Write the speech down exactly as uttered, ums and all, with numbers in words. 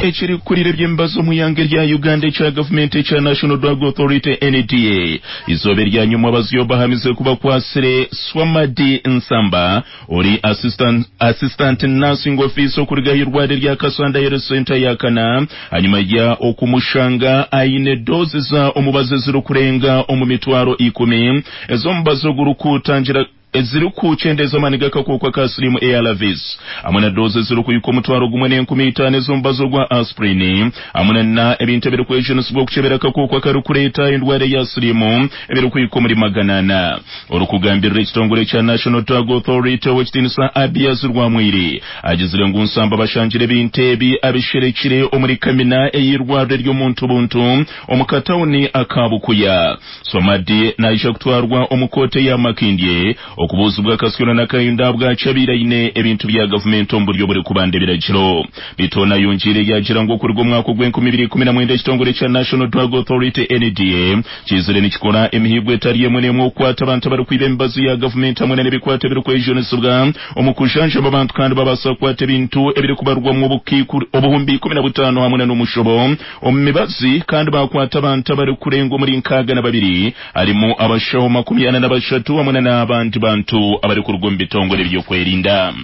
Ekirikukurira eby'emibazi omu ihanga erya Uganda ekya gavumenti ekya National Drug Authority N D A, izooba erya nyuma abazyo bahamize ku bakwasire Swamadi Nsamba, ori assistant, assistant nursing officer okuruga aha irwariro rya Kasanda Health Center yakana, hanyuma ya okumushanga aine dozi za omubazi ezirikurenga omu mitwaro ikumi ez'omubazi ogurikutangira ezirikukyendeza amaani g'akakooko ka siriimu A R Vs, hamwe na dozi ezirikuhika omutwaro gumwe n'enkumi itaano ez'omubazi ogwa aspirin, hamwe na ebintu ebirikwejunisibwa okukyebera akakooko akarikureeta endwara ya siriimu ebirikuhika omuri magana ana. Orikugambirira ekitongore kya National Drug Authority, ow'ekitiinisa Abiaz Rwamwiri, agizire ngu Nsamba bashangire ebintu ebi abisherekire omuri kamina ey'irwariro ry'omuntu buntu omu katawuni aka Bukuya. Swamadi naija kutwarwa omu kooti ya Makindye okubuuzibwa akasyona n'akayunda bwakyabaire aine ebintu bya gavumenti omu buryo burikubanda ebiragiro. Bitona yongiire yagira ngu okuruga omwaka ogw'enkumi ibiri ikumi na mwenda, ekitongore kya National Drug Authority N D A kizire nikikora emihigo etari emwe n'emwe okukwata abantu abarikwiba emibazi ya gavumenti hamwe n'ebikwato ebirikwejunisibwa omu kujanjaba abantu, kandi babaasa kukwata ebintu ebirikubarwamu obuhumbi ikumi na butaano hamwe n'omushobo omu mibazi, kandi bakwata abantu abarikurenga omuri nkaaga na babiri, harimu abashaho makumi ana na bashatu hamwe n'abandi bantu abarikuruga omu bitongore by'okwerinda.